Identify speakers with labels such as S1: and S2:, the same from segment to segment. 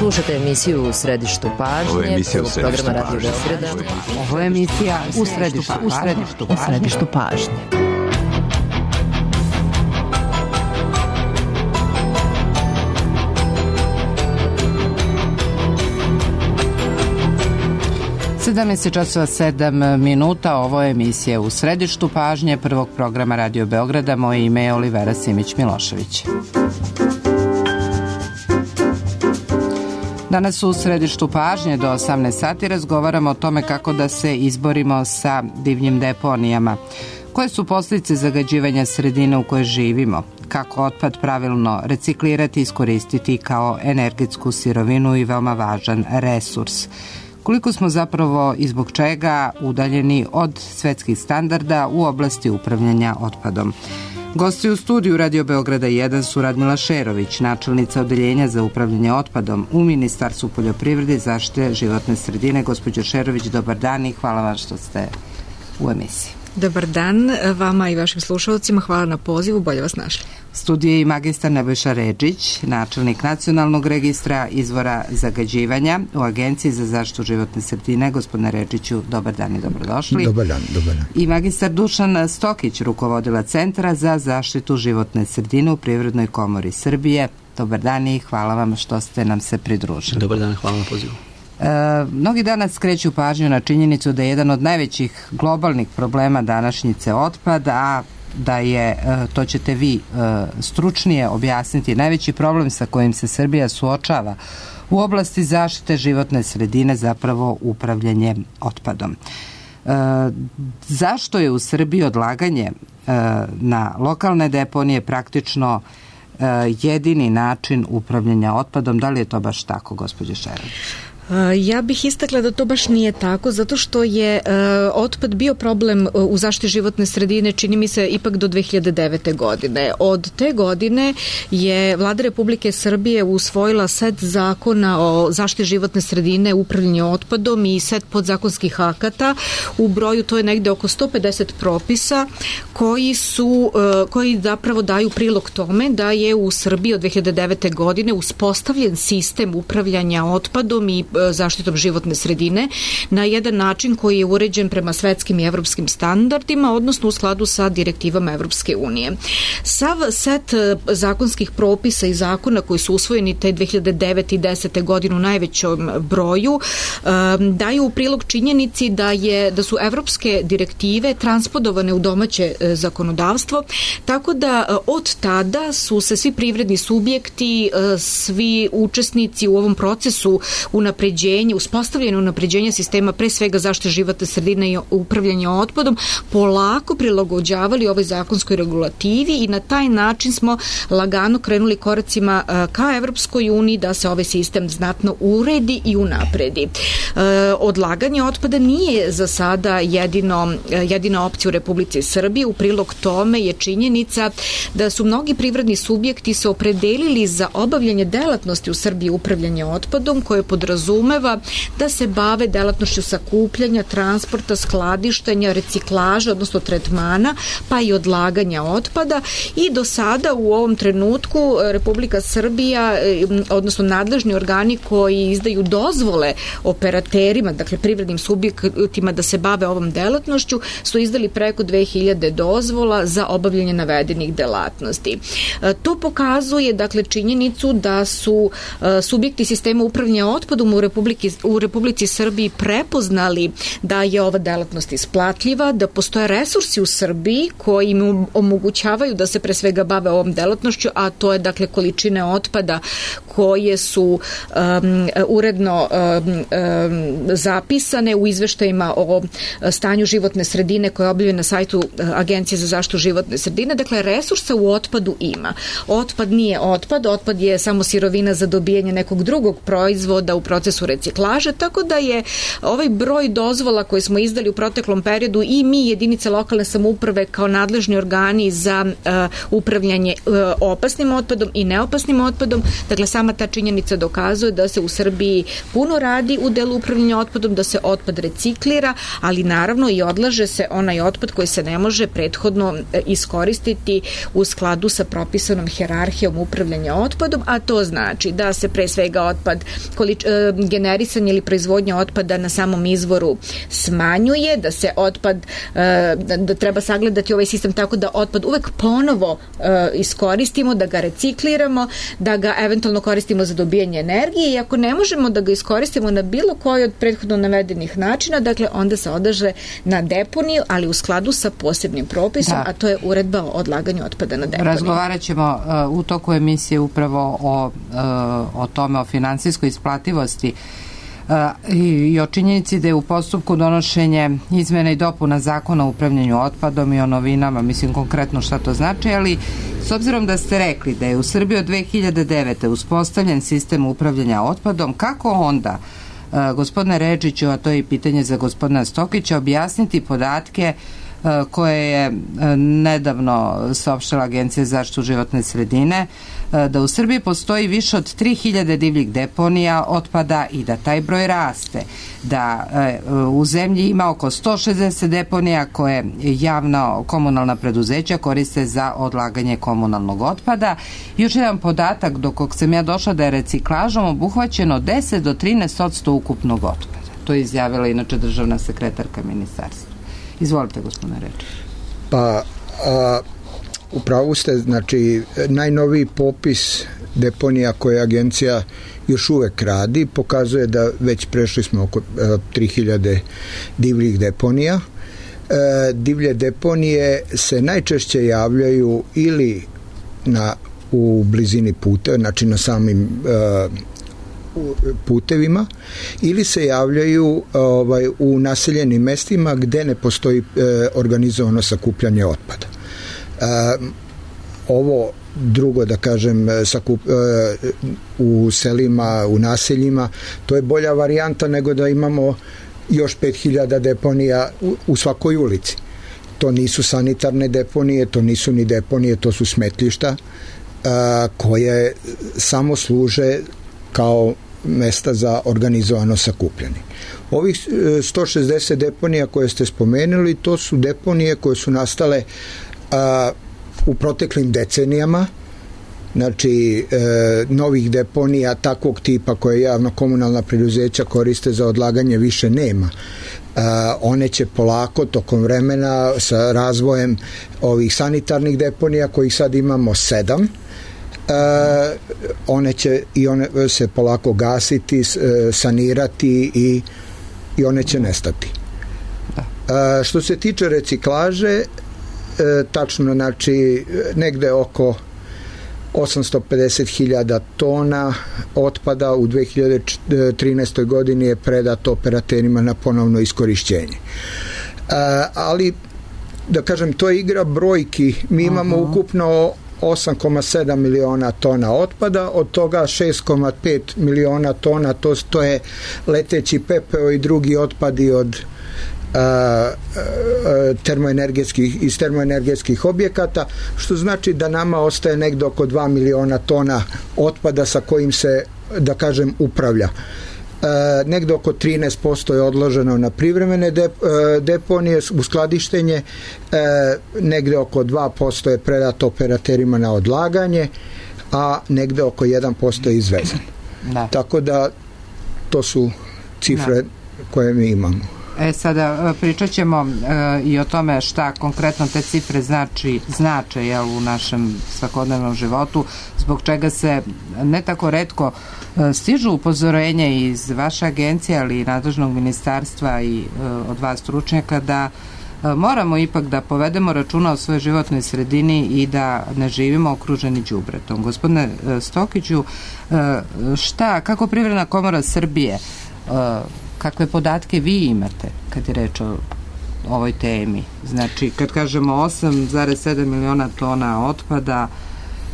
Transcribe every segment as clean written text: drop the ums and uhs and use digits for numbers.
S1: Slušate emisiju U središtu pažnje.
S2: Ovo je emisija U središtu
S1: programa Radio Beograda.
S3: Ovo je emisija U središtu pažnje. Sedamnaest časova 7 minuta. Ovo je emisija U središtu pažnje prvog programa Radio Beograda. Moje ime je Olivera Simić-Milošević. Danas u središtu pažnje do 18 sati razgovaramo o tome kako da se izborimo sa divljim deponijama. Koje su posljedice zagađivanja sredine u kojoj živimo? Kako otpad pravilno reciklirati i iskoristiti kao energetsku sirovinu i veoma važan resurs? Koliko smo zapravo i zbog čega udaljeni od svetskih standarda u oblasti upravljanja otpadom? Gosti u studiju Radio Beograda 1 su Radmila Šerović, načelnica Odeljenja za upravljanje otpadom u Ministarstvu poljoprivrede i zaštite životne sredine. Gospođo Šerović, dobar dan i hvala vam što ste u emisiji.
S4: Dobar dan vama i vašim slušalcima, hvala na pozivu, bolje vas našli.
S1: Studiju je i magistar Nebojša Redžić, načelnik Nacionalnog registra izvora zagađivanja u Agenciji za zaštitu životne sredine. Gospodine Redžiću, dobar dan i dobrodošli.
S5: Dobar dan.
S1: I magistar Dušan Stokić, rukovodila Centra za zaštitu životne sredine u Privrednoj komori Srbije. Dobar dan i hvala vam što ste nam se pridružili.
S2: Dobar dan, hvala na pozivu.
S1: Mnogi danas skreću pažnju na činjenicu da je jedan od najvećih globalnih problema današnjice otpad, a da je, to ćete vi stručnije objasniti, najveći problem sa kojim se Srbija suočava u oblasti zaštite životne sredine zapravo upravljanje otpadom. Zašto je u Srbiji odlaganje na lokalne deponije praktično jedini način upravljanja otpadom? Da li je to baš tako, gospođo Šerović?
S4: Ja bih istakla da to baš nije tako, zato što je otpad bio problem u zaštiti životne sredine, čini mi se, ipak do 2009. godine. Od te godine je Vlada Republike Srbije usvojila set zakona o zaštiti životne sredine, upravljanju otpadom i set podzakonskih akata. U broju to je negde oko 150 propisa koji zapravo daju prilog tome da je u Srbiji od 2009. godine uspostavljen sistem upravljanja otpadom i zaštitom životne sredine na jedan način koji je uređen prema svetskim i evropskim standardima, odnosno u skladu sa direktivama Evropske unije. Sav set zakonskih propisa i zakona koji su usvojeni te 2009. i 2010. godine u najvećom broju daju u prilog činjenici da su evropske direktive transpodovane u domaće zakonodavstvo, tako da od tada su se svi privredni subjekti, svi učesnici u ovom procesu uspostavljeno unapređenje sistema, pre svega zaštite životne sredine i upravljanja otpadom, polako prilagođavali ovoj zakonskoj regulativi i na taj način smo lagano krenuli koracima ka Evropskoj uniji da se ovaj sistem znatno uredi i unapredi. Odlaganje otpada nije za sada jedina opcija u Republici Srbiji. U prilog tome je činjenica da su mnogi privredni subjekti se opredelili za obavljanje delatnosti u Srbiji upravljanja otpadom, koje podrazumeva da se bave delatnošću sakupljanja, transporta, skladištenja, reciklaža, odnosno tretmana, pa i odlaganja otpada. I do sada u ovom trenutku Republika Srbija, odnosno nadležni organi koji izdaju dozvole operaterima, dakle privrednim subjektima da se bave ovom delatnošću, su izdali preko 2000 dozvola za obavljanje navedenih delatnosti. To pokazuje, dakle, činjenicu da su subjekti sistema upravljanja otpadom u Republici Srbiji prepoznali da je ova delatnost isplatljiva, da postoje resursi u Srbiji koji im omogućavaju da se pre svega bave ovom delatnošću, a to je, dakle, količine otpada koje su uredno zapisane u izveštajima o stanju životne sredine koje je objavljeno na sajtu Agencije za zaštitu životne sredine. Dakle, resursa u otpadu ima. Otpad nije otpad je samo sirovina za dobijanje nekog drugog proizvoda u procesu procesu reciklaže, tako da je ovaj broj dozvola koje smo izdali u proteklom periodu i mi, jedinice lokalne samouprave, kao nadležni organi za upravljanje opasnim otpadom i neopasnim otpadom, dakle sama ta činjenica dokazuje da se u Srbiji puno radi u delu upravljanja otpadom, da se otpad reciklira, ali naravno i odlaže se onaj otpad koji se ne može prethodno iskoristiti u skladu sa propisanom hijerarhijom upravljanja otpadom, a to znači da se pre svega otpad, generisanje ili proizvodnja otpada na samom izvoru smanjuje, da se otpad, da treba sagledati ovaj sistem tako da otpad uvek ponovo iskoristimo, da ga recikliramo, da ga eventualno koristimo za dobijanje energije i ako ne možemo da ga iskoristimo na bilo koji od prethodno navedenih načina, dakle onda se odlaže na deponiju, ali u skladu sa posebnim propisom, a to je uredba o odlaganju otpada na deponiju.
S1: Razgovarat ćemo u toku emisije upravo o tome, o finansijskoj isplativosti i o činjenici da je u postupku donošenje izmena i dopuna zakona o upravljanju otpadom i o novinama, mislim konkretno šta to znači, ali s obzirom da ste rekli da je u Srbiji od 2009. uspostavljen sistem upravljanja otpadom, kako onda, gospodine Redžiću, a to je i pitanje za gospodina Stokića, objasniti podatke koje je nedavno saopštila Agencija za zaštitu životne sredine, da u Srbiji postoji više od 3000 divljih deponija otpada i da taj broj raste, da u zemlji ima oko 160 deponija koje javna komunalna preduzeća koriste za odlaganje komunalnog otpada. Još jedan podatak do kog sam ja došla, da je reciklažom obuhvaćeno 10 do 13% ukupnog otpada. To je izjavila inače državna sekretarka ministarstva. Izvolite, gospodine Redžić.
S2: Pa, upravo ste, znači, najnoviji popis deponija koje agencija još uvek radi pokazuje da već prešli smo oko 3000 divljih deponija. Divlje deponije se najčešće javljaju ili u blizini puta, znači na samim putevima, ili se javljaju u naseljenim mestima gde ne postoji organizovano sakupljanje otpada. Ovo drugo, da kažem, u selima, u naseljima, to je bolja varijanta nego da imamo još 5000 deponija u svakoj ulici. To nisu sanitarne deponije, to nisu ni deponije, to su smetlišta koje samo služe kao mesta za organizovano sakupljanje. Ovih 160 deponija koje ste spomenuli, to su deponije koje su nastale u proteklim decenijama, znači novih deponija takvog tipa koje javno komunalna preduzeća koriste za odlaganje više nema. One će polako tokom vremena sa razvojem ovih sanitarnih deponija kojih sad imamo 7, one će se polako gasiti, sanirati i one će nestati. Što se tiče reciklaže, tačno, znači negde oko 850.000 tona otpada u 2013. godini je predato operaterima na ponovno iskorišćenje. Ali, da kažem, to je igra brojki. Mi imamo ukupno 8,7 miliona tona otpada, od toga 6,5 miliona tona to je leteći pepeo i drugi otpadi od iz termoenergetskih objekata, što znači da nama ostaje negde oko 2 miliona tona otpada sa kojim se, da kažem, upravlja. Negde oko 13% je odloženo na privremene deponije u skladištenje, negde oko 2% je predato operaterima na odlaganje, a negde oko 1% je izvezan. Tako da to su cifre koje mi imamo.
S1: Sada pričat ćemo i o tome šta konkretno te cifre znače u našem svakodnevnom životu, zbog čega se ne tako retko stižu upozorenja iz vaše agencije, ali i nadležnog ministarstva i od vas stručnjaka da moramo ipak da povedemo računa o svojoj životnoj sredini i da ne živimo okruženi đubretom. Gospodine Stokiću, kako Privredna komora Srbije, kakve podatke vi imate kad je reč o ovoj temi? Znači, kad kažemo 8,7 miliona tona otpada,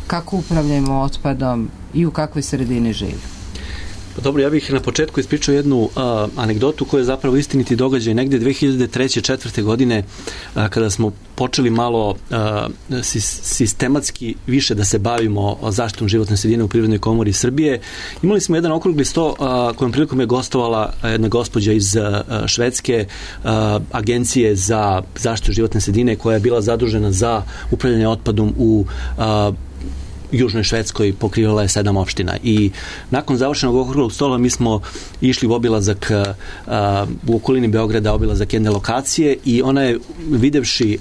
S1: kako upravljamo otpadom i u kakvoj sredini živimo?
S5: Dobro, ja bih na početku ispričao jednu anegdotu koja je zapravo istiniti događaj. Negde 2003-2004. godine kada smo počeli malo sistematski više da se bavimo zaštitom životne sredine u Privrednoj komori Srbije, imali smo jedan okrugli sto kojom prilikom je gostovala jedna gospođa iz švedske agencije za zaštitu životne sredine koja je bila zadužena za upravljanje otpadom u Južnoj Švedskoj, pokrivala je 7 opština i nakon završenog okruglog stola mi smo išli u obilazak u okolini Beograda, obilazak jedne lokacije i ona je videvši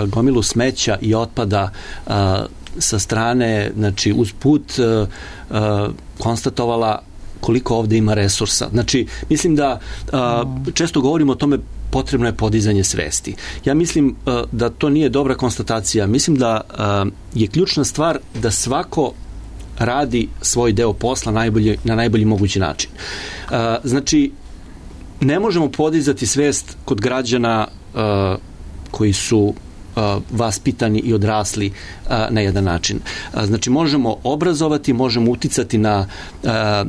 S5: gomilu smeća i otpada sa strane, znači uz put konstatovala koliko ovde ima resursa. Znači, mislim da često govorimo o tome potrebno je podizanje svesti. Ja mislim da to nije dobra konstatacija. Mislim da je ključna stvar da svako radi svoj deo posla na najbolji mogući način. Znači, ne možemo podizati svest kod građana koji su vaspitani i odrasli na jedan način. Znači, možemo obrazovati, možemo uticati na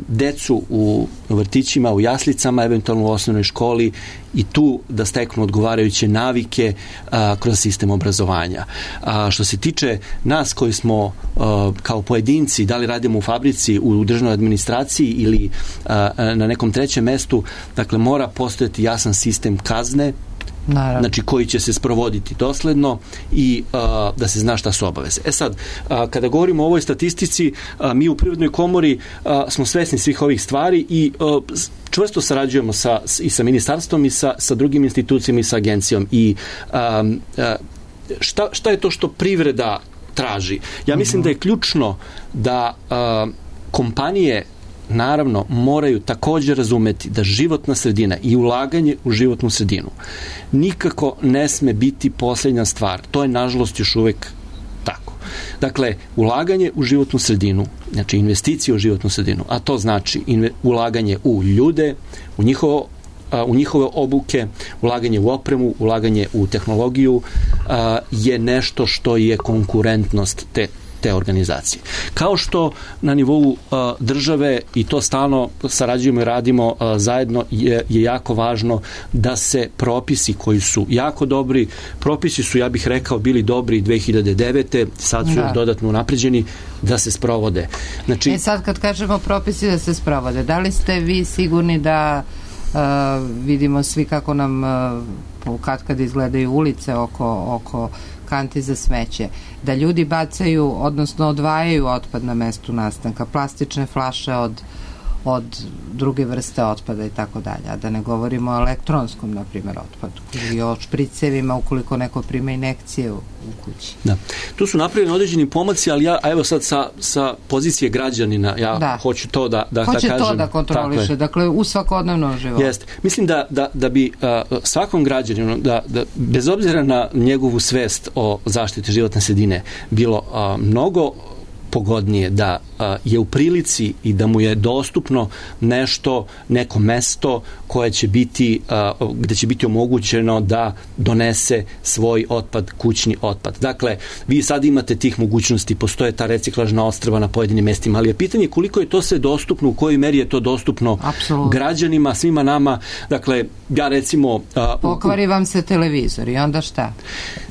S5: decu u vrtićima, u jaslicama, eventualno u osnovnoj školi i tu da steknu odgovarajuće navike kroz sistem obrazovanja. Što se tiče nas koji smo kao pojedinci, da li radimo u fabrici, u državnoj administraciji ili na nekom trećem mestu, dakle, mora postojati jasan sistem kazne, naravno, znači koji će se sprovoditi dosledno i da se zna šta su obaveze. Sad, kada govorimo o ovoj statistici, mi u Privrednoj komori smo svesni svih ovih stvari i čvrsto sarađujemo i sa ministarstvom i sa drugim institucijama i sa agencijom. I šta je to što privreda traži? Ja mislim da je ključno da kompanije naravno moraju također razumeti da životna sredina i ulaganje u životnu sredinu nikako ne sme biti posljednja stvar. To je nažalost još uvek tako. Dakle, ulaganje u životnu sredinu, znači investicije u životnu sredinu, a to znači ulaganje u ljude, u njihove obuke, ulaganje u opremu, ulaganje u tehnologiju je nešto što je konkurentnost te organizacije. Kao što na nivou države, i to stalno sarađujemo i radimo zajedno, je jako važno da se propisi koji su jako dobri, propisi su, ja bih rekao, bili dobri 2009. Sad su još dodatno unapređeni, da se sprovode. Znači,
S1: sad kad kažemo propisi da se sprovode, da li ste vi sigurni da vidimo svi kako nam kad izgledaju ulice oko kanti za smeće, da ljudi bacaju, odnosno odvajaju otpad na mestu nastanka, plastične flaše od druge vrste otpada i tako dalje, a da ne govorimo o elektronskom, na primjer, otpadu ili o špricevima ukoliko neko prima injekcije u kući.
S5: Da. Tu su napravljeni određeni pomaci, ali evo sad sa pozicije građanina, hoću to da kažem.
S1: Hoće to da kontroliše, dakle, u svakodnevnom životu.
S5: Jeste. Mislim da bi svakom građaninu, da bez obzira na njegovu svest o zaštiti životne sredine, bilo mnogo pogodnije da je u prilici i da mu je dostupno neko mesto koje će biti, gde će biti omogućeno da donese svoj otpad, kućni otpad. Dakle, vi sad imate tih mogućnosti, postoje ta reciklažna ostrva na pojedinim mestima, ali je pitanje koliko je to sve dostupno, u kojoj meri je to dostupno građanima, svima nama. Dakle, ja recimo...
S1: Pokvari vam se televizor i onda šta?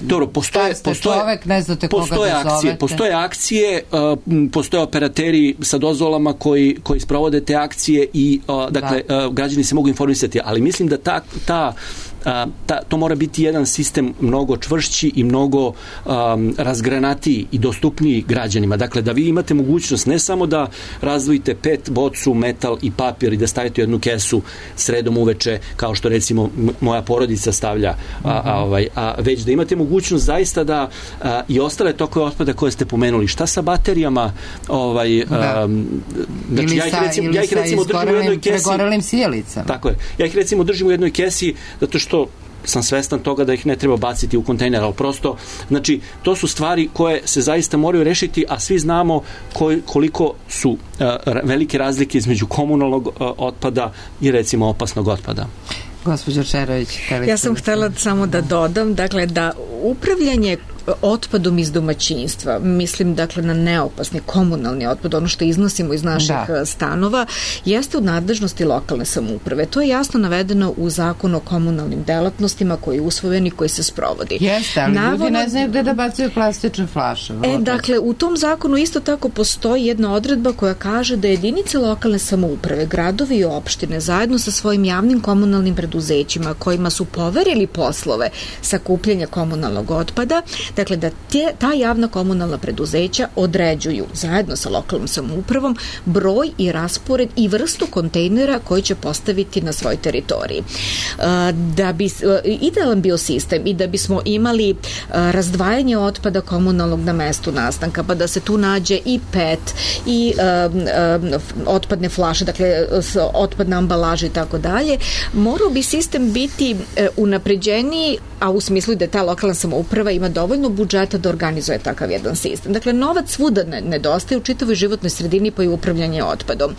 S5: Dobro,
S1: čovek, ne znate koga da zovete.
S5: Postoje akcije, postoje operateri sa dozvolama koji sprovode te akcije i dakle, građani se mogu informisati, ali mislim da to mora biti jedan sistem mnogo čvršći i mnogo razgranatiji i dostupniji građanima. Dakle, da vi imate mogućnost ne samo da razdvojite PET, bocu, metal i papir i da stavite u jednu kesu sredom uveče, kao što recimo moja porodica stavlja, već da imate mogućnost zaista da i ostale tokove otpada koje ste pomenuli. Šta sa baterijama?
S1: Znači, ja ih recimo držim u jednoj kesi. Pregorelim sjelicama.
S5: Tako je. Ja ih recimo držim u jednoj kesi zato što sam svestan toga da ih ne treba baciti u kontejner, ali prosto, znači, to su stvari koje se zaista moraju rešiti, a svi znamo koliko su velike razlike između komunalnog otpada i recimo opasnog otpada.
S1: Gospođo Čerović,
S4: ja sam htela samo da dodam, dakle, da upravljanje otpadom iz domaćinstva, mislim dakle na neopasni komunalni otpad, ono što iznosimo iz naših stanova, jeste u nadležnosti lokalne samouprave. To je jasno navedeno u zakonu o komunalnim delatnostima koji je usvojen i koji se sprovodi.
S1: Jeste, ali ljudi ne znaju gde da bacaju plastične flaše.
S4: Dakle, u tom zakonu isto tako postoji jedna odredba koja kaže da jedinice lokalne samouprave, gradovi i opštine zajedno sa svojim javnim komunalnim preduzećima kojima su poverili poslove sakupljanja komunalnog otpada, dakle da ta javna komunalna preduzeća određuju zajedno sa lokalnom samoupravom broj i raspored i vrstu kontejnera koji će postaviti na svojoj teritoriji. Da bi idealan bio sistem i da bismo imali razdvajanje otpada komunalnog na mestu nastanka, pa da se tu nađe i PET i otpadne flaše, dakle otpadna ambalaža i tako dalje, morao bi sistem biti unapređeniji, a u smislu da ta lokalna samouprava ima dovoljno budžeta da organizuje takav jedan sistem. Dakle, novac svuda nedostaje u čitavoj životnoj sredini pa i upravljanje otpadom.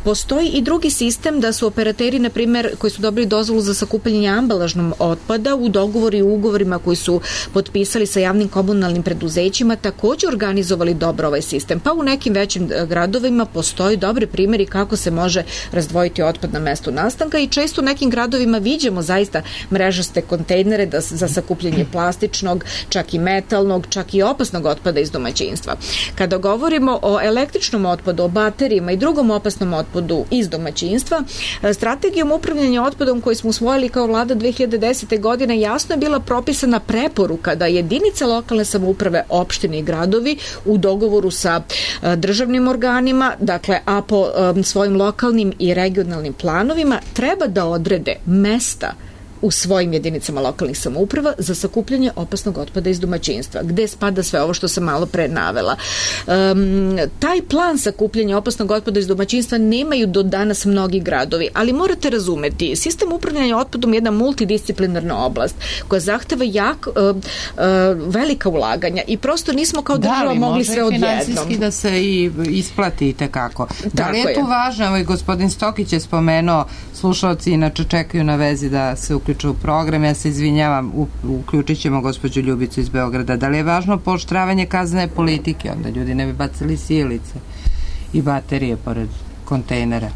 S4: Postoji i drugi sistem da su operateri, na primjer, koji su dobili dozvolu za sakupljanje ambalažnog otpada u dogovoru i ugovorima koji su potpisali sa javnim komunalnim preduzećima također organizovali dobro ovaj sistem. Pa u nekim većim gradovima postoji dobri primjeri kako se može razdvojiti otpad na mestu nastanka i često u nekim gradovima viđemo zaista mrežaste kontejnere za sakupljanje plastičnog, čak i metalnog, čak i opasnog otpada iz domaćinstva. Kada govorimo o električnom otpadu, o baterijama i drugom opasnom otpadu iz domaćinstva, strategijom upravljanja otpadom koju smo usvojili kao vlada 2010. godine jasno je bila propisana preporuka da jedinice lokalne samouprave, opštine i gradovi u dogovoru sa državnim organima, dakle, a po svojim lokalnim i regionalnim planovima treba da odrede mesta u svojim jedinicama lokalnih samouprava za sakupljanje opasnog otpada iz domaćinstva, gde spada sve ovo što sam malo pre navela. Taj plan sakupljanja opasnog otpada iz domaćinstva nemaju do danas mnogi gradovi, ali morate razumeti, sistem upravljanja otpadom je jedna multidisciplinarna oblast koja zahteva velika ulaganja i prosto nismo kao država mogli sve odjednom.
S1: Da, ali može i finansijski da se i isplati i tekako. Da li je tu važno, i gospodin Stokić je spomenuo, slušalci inače čekaju na vezi da se uključu u program, ja se izvinjavam, uključit ćemo gospođu Ljubicu iz Beograda. Da li je važno pooštravanje kaznene politike, onda ljudi ne bi bacili sijalice i baterije pored kontejnera?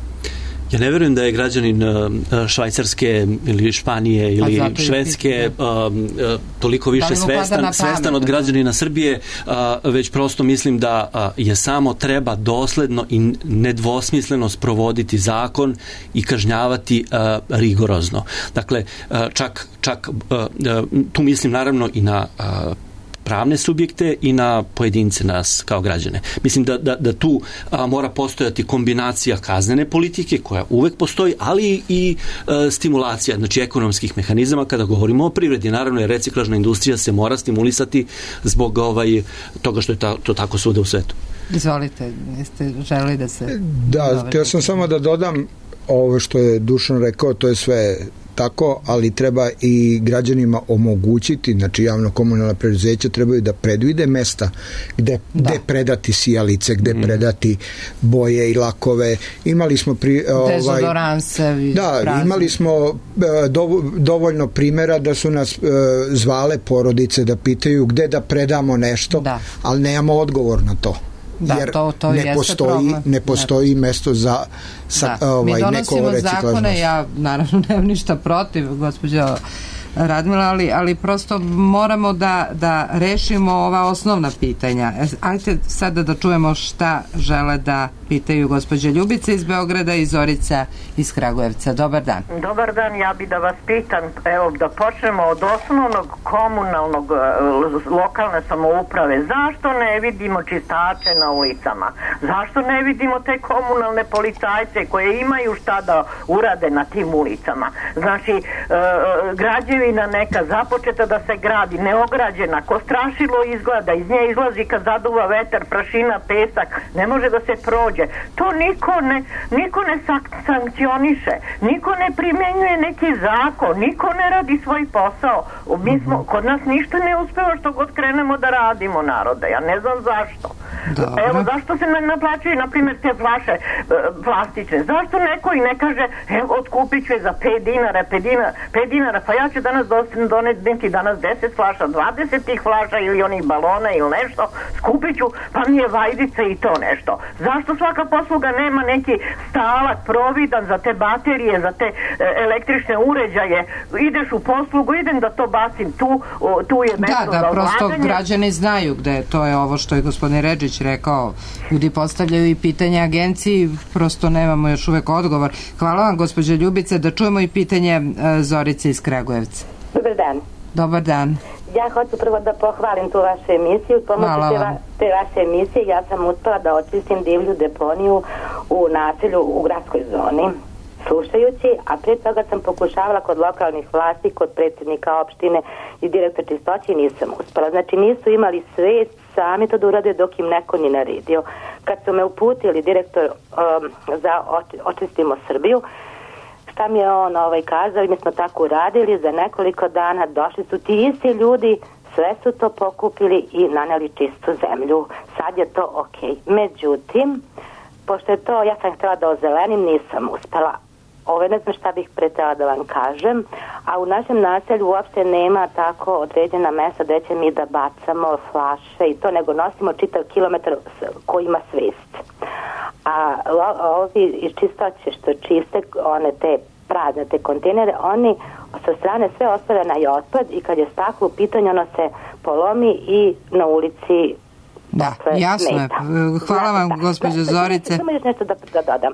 S5: Ja ne verujem da je građanin Švajcarske ili Španije ili Švedske toliko više svestan od građanina Srbije, već prosto mislim da je samo treba dosledno i nedvosmisleno sprovoditi zakon i kažnjavati rigorozno. Dakle, čak tu mislim naravno i na pravne subjekte i na pojedince nas kao građane. Mislim da tu mora postojati kombinacija kaznene politike koja uvek postoji, ali i stimulacija, znači ekonomskih mehanizama kada govorimo o privredi. Naravno, jer reciklažna industrija se mora stimulisati zbog toga što je to tako svuda u svetu.
S1: Izvolite, jeste želeli da se...
S2: Da, htio sam samo da dodam ovo što je Dušan rekao, to je sve tako, ali treba i građanima omogućiti, znači javno-komunalna preduzeća trebaju da predvide mesta gde predati sijalice, gde predati boje i lakove. Imali smo imali smo dovoljno primjera da su nas zvale porodice da pitaju gde da predamo nešto, ali nemamo odgovor na to.
S1: Da,
S2: jer
S1: to
S2: ne postoji mesto za
S1: mi donosimo zakone, ja naravno nemam ništa protiv, gospođo Radmila, ali prosto moramo da rešimo ova osnovna pitanja. Ajde sada da čujemo šta žele da pitaju gospođa Ljubica iz Beograda i Zorica iz Kragujevca. Dobar dan.
S6: Dobar dan, ja bi da vas pitam, evo da počnemo od osnovnog komunalnog lokalne samouprave. Zašto ne vidimo čistače na ulicama? Zašto ne vidimo te komunalne policajce koje imaju šta da urade na tim ulicama? Znači, građevina neka započeta da se gradi, neograđena, ko strašilo izgleda, iz nje izlazi kad zaduva vetar, prašina, pesak, ne može da se prođe. To niko ne sankcioniše, niko ne primjenjuje neki zakon, niko ne radi svoj posao. Kod nas ništa ne uspeva što god krenemo da radimo, narode, ja ne znam zašto. Evo, zašto se naplaćuju, na primjer, te flaše plastične? Zašto neko i ne kaže, evo, otkupit ću je za 5 dinara, pa ja ću danas doneti danas 10 flaša, 20 tih flaša ili onih balona ili nešto, skupit ću, pa mi je vajdica i to nešto. Zašto svaka posluga nema neki stalak, providan za te baterije, za te električne uređaje? Ideš u poslugu, idem da to bacim tu je mesto za odlaganje.
S1: Prosto građani znaju gde, to je ovo što je gospodin Redžić rekao, ljudi postavljaju i pitanje agenciji, prosto nemamo još uvek odgovor. Hvala vam, gospođa Ljubice, da čujemo i pitanje Zorice iz Kragujevca.
S7: Dobar dan.
S1: Dobar dan.
S7: Ja hoću prvo da pohvalim tu vašu emisiju. Pomoću te vaše emisije ja sam uspela da očistim divlju deponiju u naselju u gradskoj zoni. Slušajući, a pre toga sam pokušavala kod lokalnih vlasti, kod predsjednika opštine i direktora čistoće i nisam uspela. Znači nisu imali svest sami to da urade dok im neko ni naredio. Kad su me uputili direktor za Očistimo Srbiju, šta mi je on kazao i mi smo tako uradili, za nekoliko dana došli su ti isti ljudi, sve su to pokupili i naneli čistu zemlju. Sad je to okej. Međutim, pošto je to, ja sam htjela da ozelenim, nisam uspela. Ne znam šta bih pretela da vam kažem, a u našem naselju uopšte nema tako određena mesta gde će mi da bacamo flaše i to, nego nosimo čitav kilometar koji ima svest. A ovi iz čistoće što čiste one te prazne te kontejnere, oni sa strane sve ostave na otpad i kad je staklo u pitanju ono se polomi i na ulici.
S1: Da, jasno je. Hvala vam, gospođo Zorice.
S7: Samo još nešto da dodam.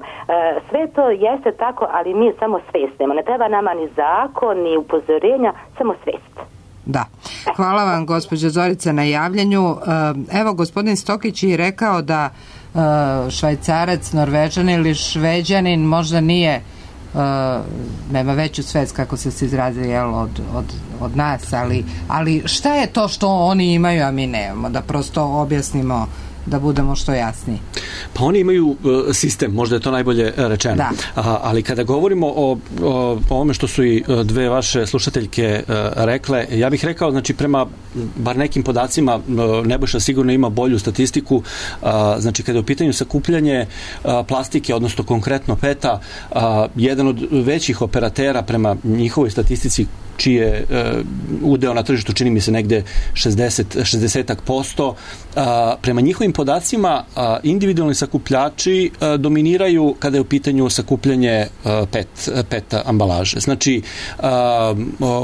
S7: Sve to jeste tako, ali mi samo svest nema. Ne treba nama ni zakon, ni upozorenja, samo svest.
S1: Da. Hvala vam, gospođo Zorice, na javljanju. Evo, gospodin Stokić je rekao da Švajcarac, Norvežanin ili Šveđanin možda nije nema veću svest, kako se izrazili od nas, ali šta je to što oni imaju, a mi nemamo, da prosto objasnimo, da budemo što jasniji.
S5: Pa oni imaju sistem, možda je to najbolje rečeno.
S1: Da.
S5: Ali kada govorimo o ovome što su i dve vaše slušateljke rekle, ja bih rekao, znači prema bar nekim podacima, Nebojša sigurno ima bolju statistiku, znači kada je u pitanju sakupljanje plastike, odnosno konkretno PET-a, jedan od većih operatera prema njihovoj statistici čije udeo na tržištu čini mi se negde 60%. Prema njihovim podacima individualni sakupljači dominiraju kada je u pitanju sakupljanje PET ambalaže. Znači,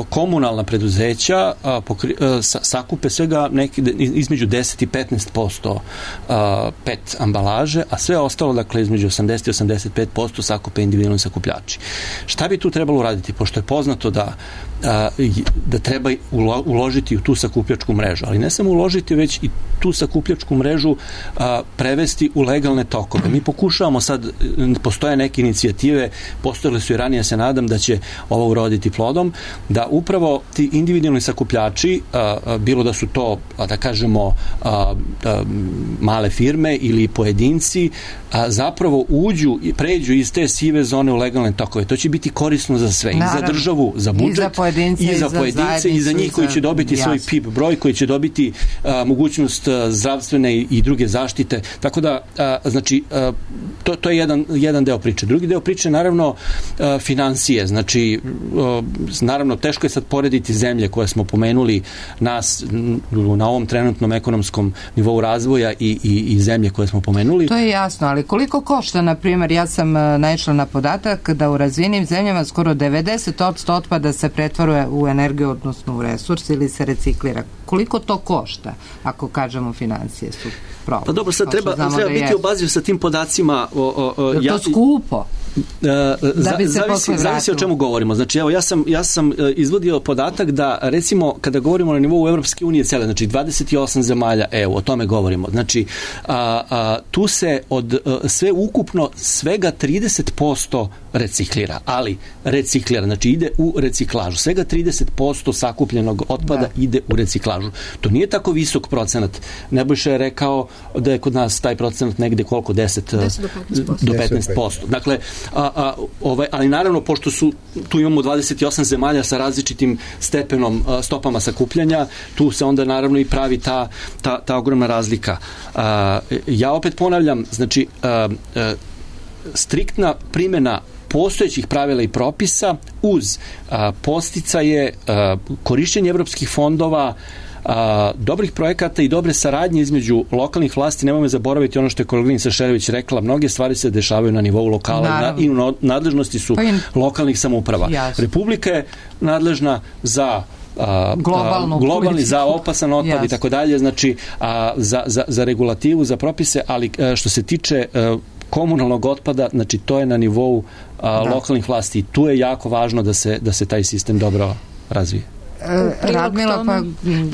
S5: komunalna preduzeća sakupe svega između 10 i 15% PET ambalaže, a sve ostalo, dakle, između 80 i 85% sakupe individualni sakupljači. Šta bi tu trebalo uraditi? Pošto je poznato da treba uložiti u tu sakupljačku mrežu, ali ne samo uložiti, već i tu sakupljačku mrežu prevesti u legalne tokove. Mi pokušavamo sad, postoje neke inicijative, postojale su i ranije, se nadam da će ovo uroditi plodom, da upravo ti individualni sakupljači, bilo da su to, da kažemo, male firme ili pojedinci, zapravo pređu iz te sive zone u legalne tokove. To će biti korisno za sve, i za državu, za budžet, i za pojedince, i za njih koji će dobiti svoj PIP broj, koji će dobiti mogućnost zdravstvene i druge zaštite. Tako da, znači, to je jedan deo priče. Drugi deo priče, naravno, financije. Znači, naravno, teško je sad porediti zemlje koje smo pomenuli nas na ovom trenutnom ekonomskom nivou razvoja i zemlje koje smo pomenuli.
S1: To je jasno, ali koliko košta, na primjer, ja sam naišla na podatak da u razvijenim zemljama skoro 90% otpada se pretvaruje u energiju, odnosno u resurs, ili se reciklira. Koliko to košta, ako kažemo financije su problem?
S5: Pa dobro, sad treba biti obazriv sa tim podacima.
S1: Je to skupo?
S5: Zavisi o čemu govorimo. Znači, evo, ja sam izvodio podatak da, recimo, kada govorimo na nivou Evropske unije cele, znači 28 zemalja EU, o tome govorimo. Znači, tu se od sve ukupno svega 30% reciklira, ali reciklira, znači ide u reciklažu. Svega 30% sakupljenog otpada ide u reciklažu. To nije tako visok procenat. Nebojša je rekao da je kod nas taj procenat negde koliko? 10 do 15%. Dakle, ali naravno, pošto tu imamo 28 zemalja sa različitim stepenom, stopama sakupljanja, tu se onda naravno i pravi ta ogromna razlika. Ja opet ponavljam, znači, striktna primjena postojećih pravila i propisa uz podsticaje, korišćenje evropskih fondova, dobrih projekata i dobre saradnje između lokalnih vlasti. Nemojmo zaboraviti ono što je koleginica Šerević rekla, mnoge stvari se dešavaju na nivou lokala i u nadležnosti su lokalnih samouprava. Republika je nadležna za globalni, za opasan otpad i tako dalje, znači za regulativu, za propise, ali što se tiče komunalnog otpada, znači to je na nivou lokalnih vlasti i tu je jako važno da se taj sistem dobro razvije.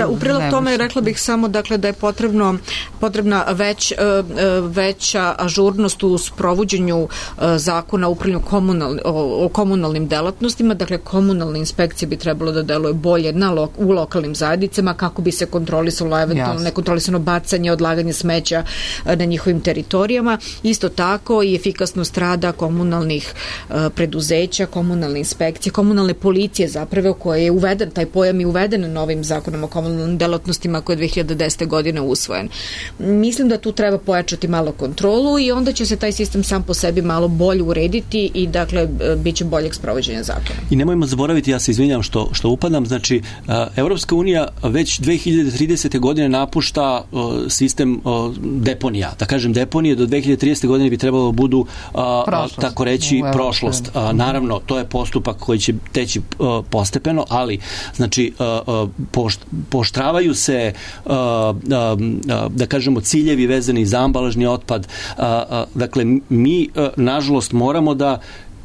S4: U prilog tome rekla bih samo dakle da je potrebna veća ažurnost u sprovođenju zakona o upravljanju o komunalnim delatnostima, dakle komunalne inspekcije bi trebalo da deluje bolje u lokalnim zajednicama kako bi se kontrolisalo eventualno nekontrolisano bacanje, odlaganje smeća na njihovim teritorijama. Isto tako i efikasnost rada komunalnih preduzeća, komunalne inspekcije, komunalne policije zapravo koje je uveden taj pojam i uveden novim zakonom o komunalnim delatnostima koji je 2010. godine usvojen. Mislim da tu treba pojačati malo kontrolu i onda će se taj sistem sam po sebi malo bolje urediti i dakle bit će boljeg sprovođenja zakona.
S5: I nemojmo zaboraviti, ja se izvinjam što upadam, znači Evropska unija već 2030. godine napušta sistem deponija. Da kažem, deponije do 2030. godine bi trebalo budu tako reći prošlost. Naravno, to je postupak koji će teći postepeno, ali znači pooštravaju se da kažemo ciljevi vezani za ambalažni otpad. Dakle, mi nažalost moramo da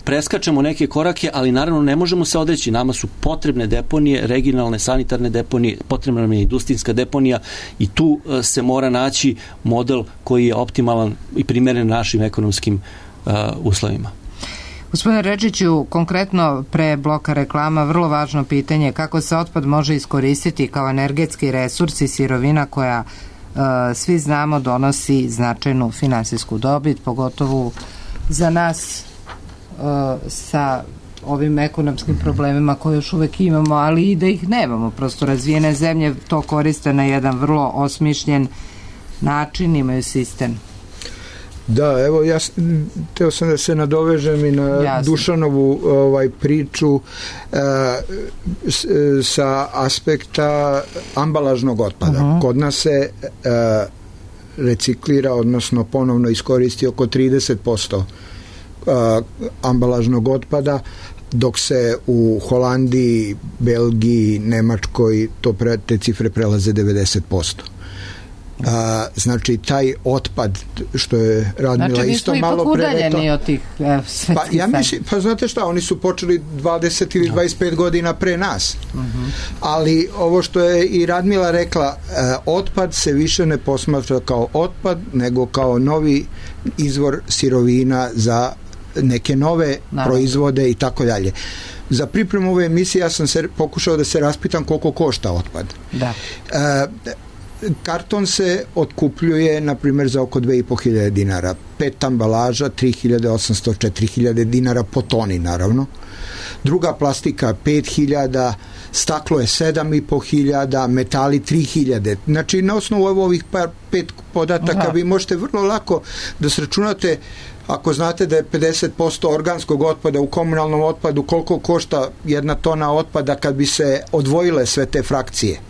S5: preskačemo neke korake, ali naravno ne možemo se odreći. Nama su potrebne deponije, regionalne sanitarne deponije, potrebna nam je industrijska deponija i tu se mora naći model koji je optimalan i primeren našim ekonomskim uslovima.
S1: Gospodine Redžiću, konkretno pre bloka reklama, vrlo važno pitanje kako se otpad može iskoristiti kao energetski resurs i sirovina koja svi znamo donosi značajnu finansijsku dobit, pogotovo za nas sa ovim ekonomskim problemima koje još uvek imamo, ali i da ih nemamo. Prosto razvijene zemlje to koriste na jedan vrlo osmišljen način, imaju sistem.
S2: Da, evo ja teo sam da se nadovežem i na Dušanovu priču sa aspekta ambalažnog otpada. Kod nas se reciklira, odnosno ponovno iskoristi oko 30% ambalažnog otpada, dok se u Holandiji, Belgiji, Nemačkoj te cifre prelaze 90%. Znači taj otpad što je Radmila isto malo prerekla,
S1: od tih
S2: ja mislim, pa znate šta, oni su počeli 20 ili 25 godina pre nas, ali ovo što je i Radmila rekla, otpad se više ne posmatra kao otpad, nego kao novi izvor sirovina za neke nove proizvode i tako dalje. Za pripremu ove emisije ja sam pokušao da se raspitam koliko košta otpad. Karton se otkupljuje na primjer za oko 2.500 dinara, 5 ambalaža 3.800, 4.000 dinara po toni naravno, druga plastika 5.000, staklo je 7.500, metali 3.000. Znači na osnovu ovih 5 podataka vi možete vrlo lako da sračunate, ako znate da je 50% organskog otpada u komunalnom otpadu, koliko košta 1 tona otpada kad bi se odvojile sve te frakcije.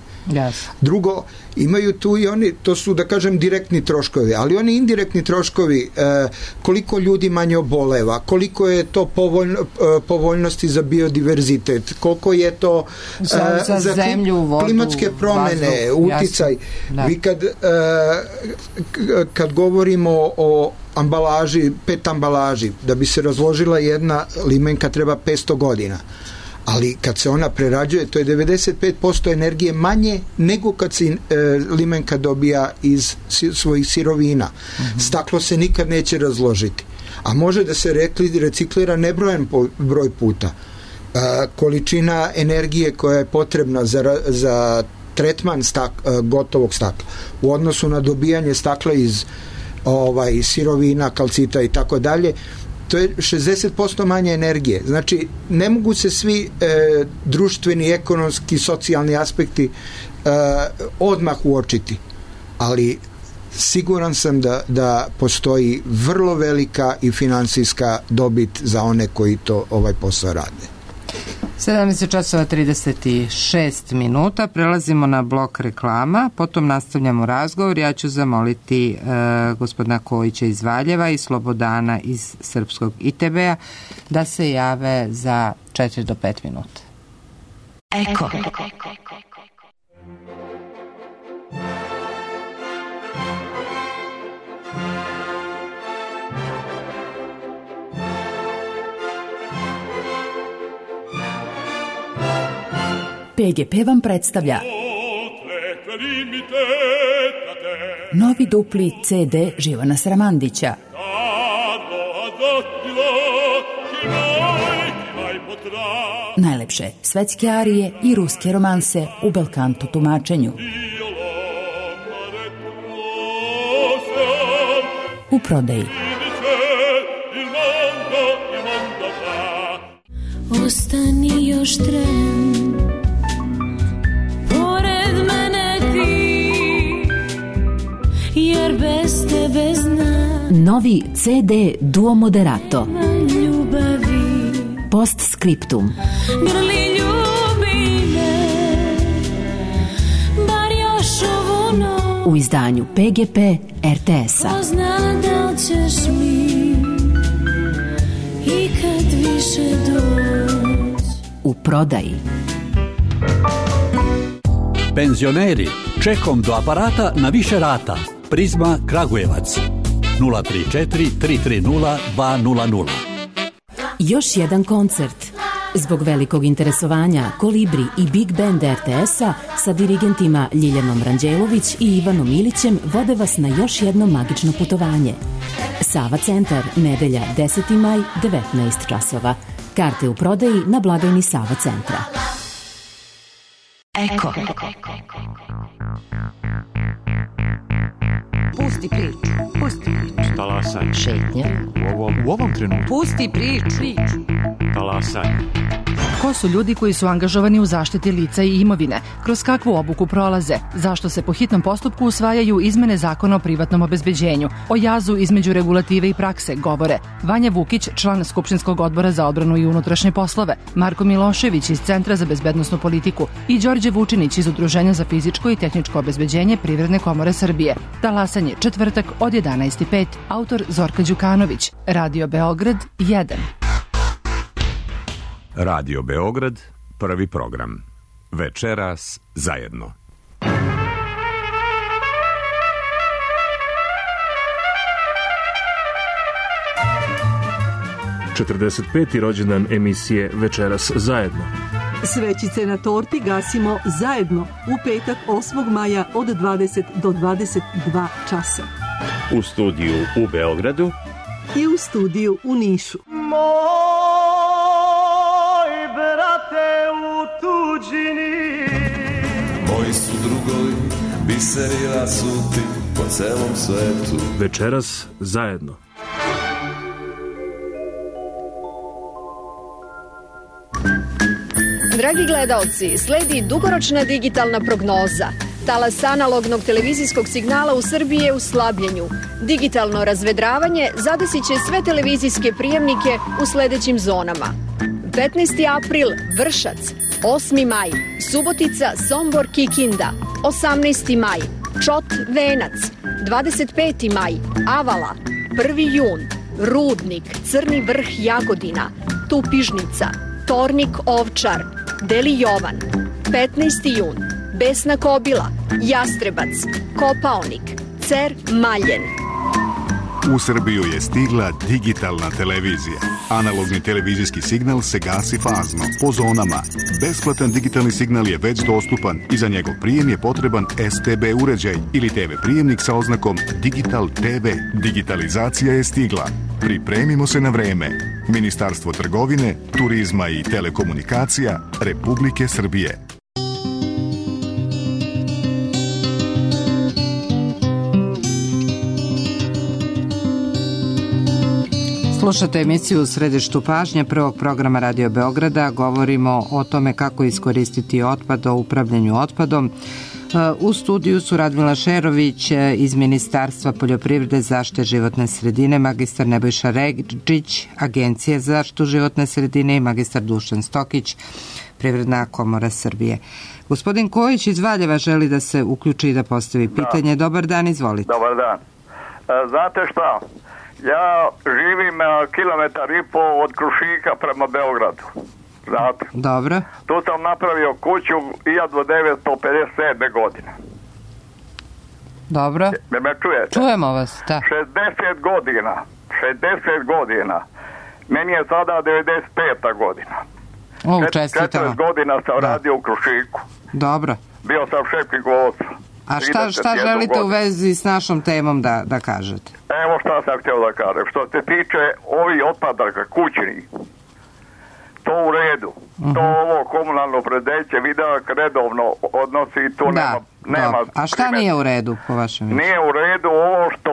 S2: Drugo, imaju tu i oni, to su da kažem direktni troškovi, ali oni indirektni troškovi, koliko ljudi manje oboleva, koliko je to povoljnosti za biodiverzitet, koliko je to
S1: za zemlju, vodu,
S2: klimatske promene, uticaj. Vi kad govorimo o ambalaži, 5 ambalaži, da bi se razložila jedna limenka treba 500 godina. Ali kad se ona prerađuje, to je 95% energije manje nego kad se limenka dobija iz svojih sirovina. Staklo se nikad neće razložiti. a može da se reciklira nebrojan broj puta. Količina energije koja je potrebna za tretman gotovog stakla u odnosu na dobijanje stakla iz sirovina, kalcita i tako dalje, to je 60% manje energije. Znači, ne mogu se svi društveni, ekonomski, socijalni aspekti odmah uočiti, ali siguran sam da postoji vrlo velika i finansijska dobit za one koji to posao rade.
S1: 17:36 minuta, prelazimo na blok reklama, potom nastavljamo razgovor. Ja ću zamoliti gospodina Kojića iz Valjeva i Slobodana iz Srpskog ITB-a da se jave za 4 do 5 minuta.
S8: Eko. PGP vam predstavlja novi dupli CD Živana Sramandića. Najlepše svetske arije i ruske romanse u belkanto tumačenju. U prodaji.
S9: Ostani još tren, pored mene ti, jer bez tebe znam.
S8: Novi CD Duo Moderato.
S9: Ljubavi.
S8: Postscriptum.
S9: Grli ljubi me, bar još ovu noć.
S8: U izdanju PGP RTS-a.
S9: Ko zna da li ćeš mi ikad više doći.
S8: U prodaji.
S10: Penzioneri, čekom do aparata na više rata. Prizma Kragujevac 034 330 200.
S8: Još jedan koncert. Zbog velikog interesovanja Kolibri i Big Band RTS-a sa dirigentima Ljiljanom Ranđelović i Ivanom Ilićem vode vas na još jedno magično putovanje. Sava centar, nedelja 10. maj, 19 časova. Karte u prodaji na blagajni Sava centra.
S1: Eko. Pusti priču. Pusti priču.
S11: Talasaj.
S1: Šetnja.
S11: U ovom trenutku.
S1: Pusti priču.
S11: Talasaj.
S12: Ko su ljudi koji su angažovani u zaštiti lica i imovine? Kroz kakvu obuku prolaze? Zašto se po hitnom postupku usvajaju izmene zakona o privatnom obezbeđenju? O jazu između regulative i prakse govore Vanja Vukić, član Skupštinskog odbora za odbranu i unutrašnje poslove, Marko Milošević iz Centra za bezbednosnu politiku i Đorđe Vučinić iz Udruženja za fizičko i tehničko obezbeđenje Privredne komore Srbije. Talasanje četvrtak od 11:05. Autor Zorka Đukanović. Radio Beograd 1.
S13: Radio Beograd, prvi program. Večeras zajedno.
S14: ...45. rođendan emisije Večeras zajedno.
S15: Svećice na torti gasimo zajedno u petak 8. maja od 20 do 22 časa.
S16: U studiju u Beogradu
S15: i u studiju u Nišu.
S17: Moj brate u tuđini,
S18: moji su drugovi, biseri rasuti po celom svetu.
S14: Večeras zajedno.
S19: Dragi gledaoci, sledi dugoročna digitalna prognoza. Talas analognog televizijskog signala u Srbiji je u slabljenju. Digitalno razvedravanje zadesit će sve televizijske prijemnike u sledećim zonama. 15. april Vršac, 8. maj Subotica, Sombor, Kikinda, 18. maj Čot, Venac, 25. maj Avala, 1. jun Rudnik, Crni Vrh, Jagodina, Tupižnica, Tornik, Ovčar, Deli Jovan, 15. jun Besna Kobila, Jastrebac, Kopaonik, Cer, Maljen.
S20: U Srbiju je stigla digitalna televizija. Analogni televizijski signal se gasi fazno, po zonama. Besplatan digitalni signal je već dostupan i za njegov prijem je potreban STB uređaj ili TV prijemnik sa oznakom Digital TV. Digitalizacija je stigla. Pripremimo se na vreme. Ministarstvo trgovine, turizma i telekomunikacija Republike Srbije.
S1: Slušate emisiju U središtu pažnje prvog programa Radio Beograda. Govorimo o tome kako iskoristiti otpad, o upravljanju otpadom. U studiju su Radmila Šerović iz Ministarstva poljoprivrede, zaštite životne sredine, magistar Nebojša Ređić, Agencije za zaštitu životne sredine i magistar Dušan Stokić, Privredna komora Srbije. Gospodin Kojić iz Valjeva želi da se uključi i da postavi pitanje. Dobar dan, izvolite.
S21: Dobar dan. Znate šta? Ja živim kilometar i po od Krušika prema Beogradu. Znate?
S1: Dobro.
S21: Tu sam napravio kuću 1957. godine.
S1: Dobro.
S21: Me čujete?
S1: Čujemo vas, da.
S21: 60 godina. Meni je sada 95. godina.
S1: Čestitamo.
S21: 40 godina sam radio u Krušiku.
S1: Dobro.
S21: Bio sam šef knjigovodstva.
S1: A šta želite u vezi s našom temom da kažete?
S21: Evo šta sam htio da kažem. Što se tiče ovih otpadaka kućnih, to u redu. To ovo komunalno predeće vidak redovno odnosi i tu nema.
S1: A šta nije u redu po vašem mišljenju?
S21: Nije u redu ovo što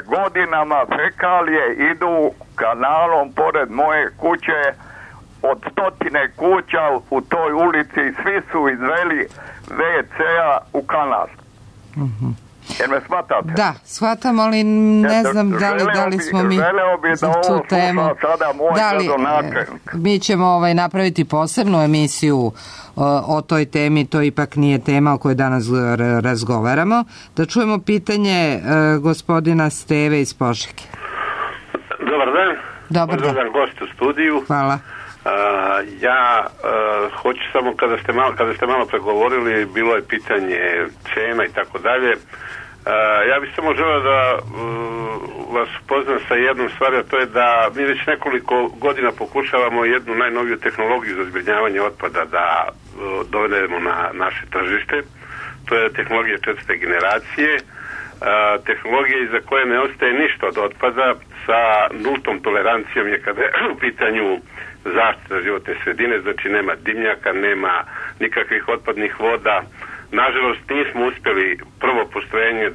S21: godinama fekalije idu kanalom pored moje kuće, od 100 kuća u toj ulici, svi su izveli WC-a u kanal. Jer me shvatate?
S1: Da, shvatam, ali ne znam da li smo mi za tu temu. Mi ćemo napraviti posebnu emisiju o toj temi, to ipak nije tema o kojoj danas razgovaramo. Da čujemo pitanje gospodina Steve iz Požege.
S22: Dobar dan.
S1: Dobar dan.
S22: Gost u studiju.
S1: Hvala.
S22: Ja hoću samo kada ste malo pregovorili, bilo je pitanje cena i tako dalje. Ja bih samo želeo da vas upoznam sa jednom stvari, a to je da mi već nekoliko godina pokušavamo jednu najnoviju tehnologiju za zbrinjavanje otpada da dovedemo na naše tržište. To je tehnologija 4. generacije, tehnologija iza koje ne ostaje ništa od otpada, sa nultom tolerancijom je kada je u pitanju zaštita životne sredine, znači nema dimnjaka, nema nikakvih otpadnih voda. Nažalost nismo uspjeli prvo postrojenje